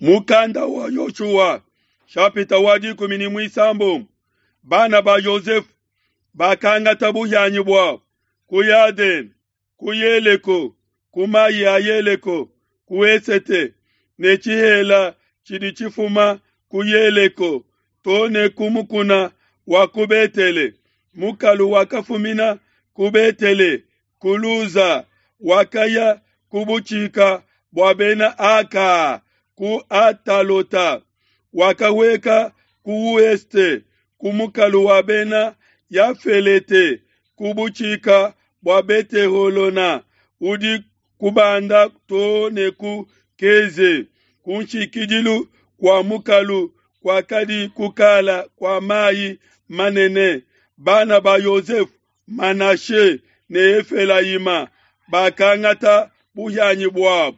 Mukanda wa Yoshua shapita wa 16. Bana ba Yosefe bakangata buhianyi buabo ku Yadene, ku Yeleko, ku mai a Yeleko, ku esete, ne tshihela tshidi tshifuma ku Yeleko to ne ku mukuna wa ku Betele. Mukalu wakafumina ku Betele ku Luza, wakaya ku butshika bua bena Aka ku Atalota, wakaweka ku ouest ku mukalu wa bena Yafelete ku butshika bua Beteholona udi kubanda to ne ku Keze, ku nshikidilu kua mukalu kuakadi kukala kua mai manene. Bana ba Yosefe, Manashe ne Efelayima bakangata buhianyi buabo.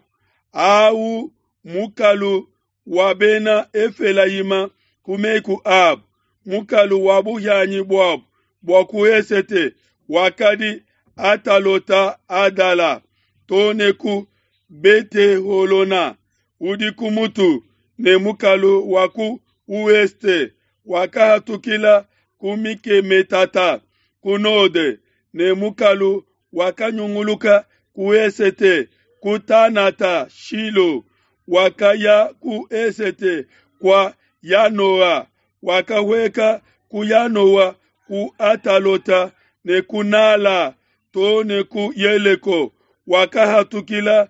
Au mukalu wa bena Efelayima ku meku abo. Mukalu wa buhianyi buabo bua ku esete wakadi Atalota Adala to ne ku Beteholona udi ku mutu, ne mukalu wa ku ouest wakahatukila ku Mikemetata ku node, ne mukalu wakanyunguluka ku esete ku Tanata Shilo, wakaya ku esete kua Yanoa, wakahweka ku Yanoa ku Atalota ne ku Nala to ne ku Yeleko, wakahatukila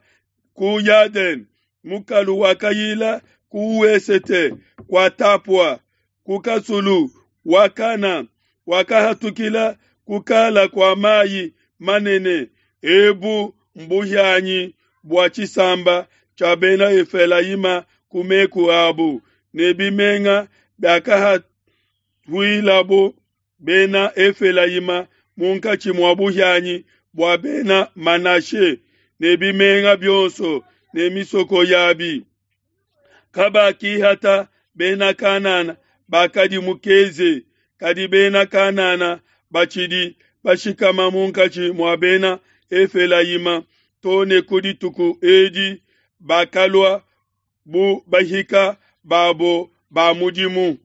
ku Yadene. Mukalu wakayila ku wesete kua Tapua ku kasulu wa Kana, wakahatukila ku kala kua mai manene. Ebu mbuhianyi bua tshisamba tshia bena Efelayima ku meku abu, ne bimenga biakahatuilabo bena Efelayima munkatshi mua buhianyi bua bena Manashe, ne bimenga bionso ne misoko yabi. Kabakihata bena Kanana bakadi mu Keze, kadi bena Kanana batshidi bashikama munkatshi mua bena Efelayima to ne ku dituku edi, bakalua bu bahika babo ba mudimu.